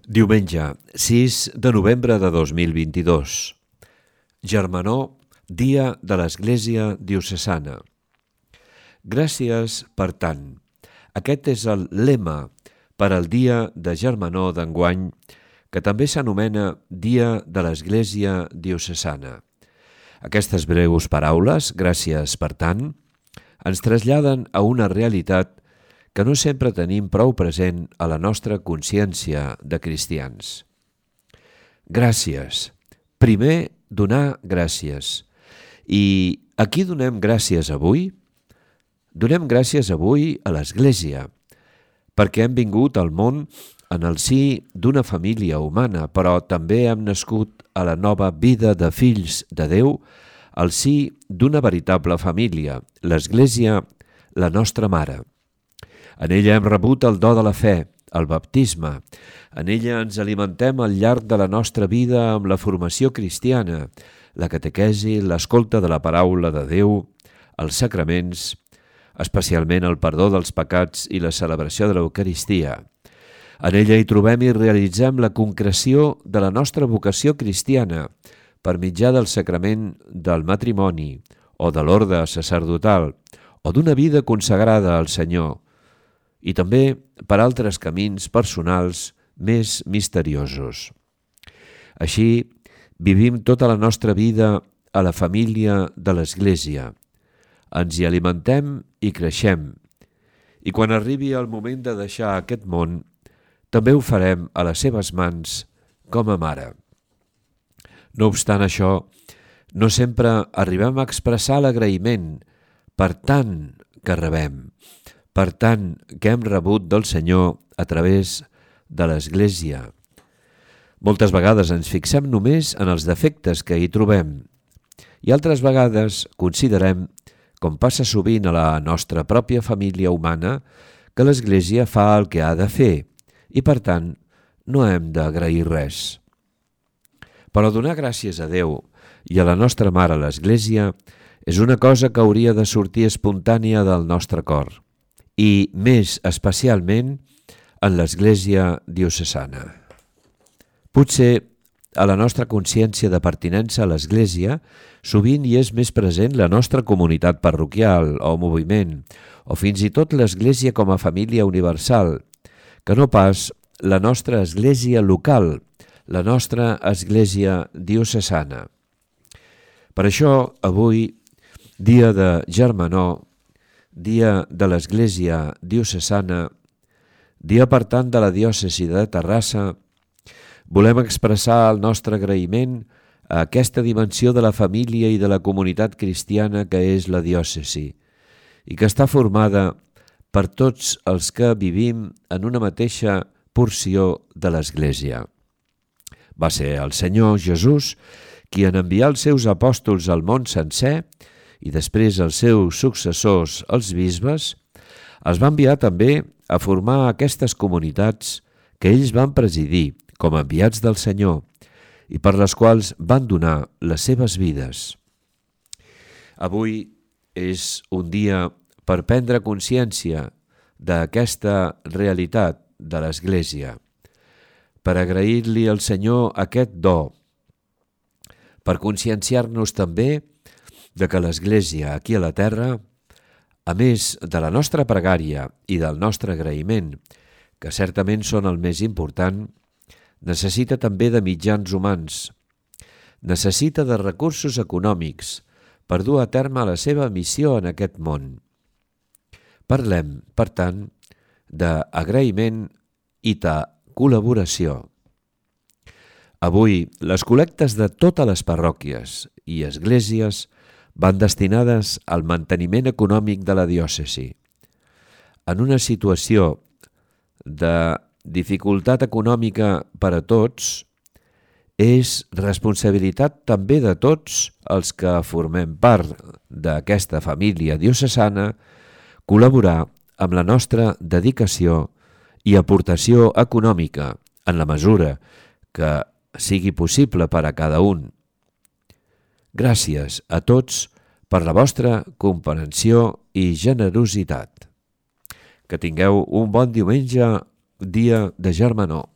Diumenge, 6 de novembre de 2022. Germanor, dia de l'Església Diocesana. Gràcies per tant. Aquest és el lema per al dia de Germanor d'enguany, que també s'anomena Dia de l'Església Diocesana. Aquestes breus paraules, gràcies per tant, ens traslladen a una realitat que no sempre tenim prou present a la nostra consciència de cristians. Gràcies. Primer, donar gràcies. I a qui donem gràcies avui? Donem gràcies avui a l'Església, perquè hem vingut al món en el si d'una família humana, però també hem nascut a la nova vida de fills de Déu, al si d'una veritable família, l'Església, la nostra mare. En ella hem rebut el do de la fe, el baptisme. En ella ens alimentem al llarg de la nostra vida amb la formació cristiana, la catequesi, l'escolta de la paraula de Déu, els sacraments, especialment el perdó dels pecats i la celebració de l'Eucaristia. En ella hi trobem i realitzem la concreció de la nostra vocació cristiana per mitjà del sacrament del matrimoni o de l'orde sacerdotal o d'una vida consagrada al Senyor, i també per altres camins personals més misteriosos. Així, vivim tota la nostra vida a la família de l'Església. Ens hi alimentem i creixem. I quan arribi el moment de deixar aquest món, també ho farem a les seves mans com a mare. No obstant això, no sempre arribem a expressar l'agraïment per tant que rebem, per tant que hem rebut del Senyor a través de l'Església. Moltes vegades ens fixem només en els defectes que hi trobem i altres vegades considerem, com passa sovint a la nostra pròpia família humana, que l'Església fa el que ha de fer i, per tant, no hem d'agrair res. Però donar gràcies a Déu i a la nostra mare, l'Església, és una cosa que hauria de sortir espontània del nostre cor, i més especialment en l'Església Diocesana. Potser a la nostra consciència de pertinença a l'Església sovint hi és més present la nostra comunitat parroquial o moviment, o fins i tot l'Església com a família universal, que no pas la nostra Església local, la nostra Església Diocesana. Per això, avui, dia de Germanor, dia de l'Església Diocesana, dia per tant de la diòcesi de Terrassa, volem expressar el nostre agraïment a aquesta dimensió de la família i de la comunitat cristiana que és la diòcesi i que està formada per tots els que vivim en una mateixa porció de l'Església. Va ser el Senyor Jesús qui en enviar els seus apòstols al món sencer i després els seus successors, els bisbes, els va enviar també a formar aquestes comunitats que ells van presidir com a enviats del Senyor i per les quals van donar les seves vides. Avui és un dia per prendre consciència d'aquesta realitat de l'Església, per agrair-li al Senyor aquest do, per conscienciar-nos també de que l'Església aquí a la terra, a més de la nostra pregària i del nostre agraïment, que certament són el més important, necessita també de mitjans humans, necessita de recursos econòmics per dur a terme la seva missió en aquest món. Parlem, per tant, d'agraïment i de col·laboració. Avui, les col·lectes de totes les parròquies i esglésies van destinades al manteniment econòmic de la diòcesi. En una situació de dificultat econòmica per a tots, és responsabilitat també de tots els que formem part d'aquesta família diocesana col·laborar amb la nostra dedicació i aportació econòmica en la mesura que sigui possible per a cada un. Gràcies a tots per la vostra comprensió i generositat. Que tingueu un bon diumenge, dia de Germanor.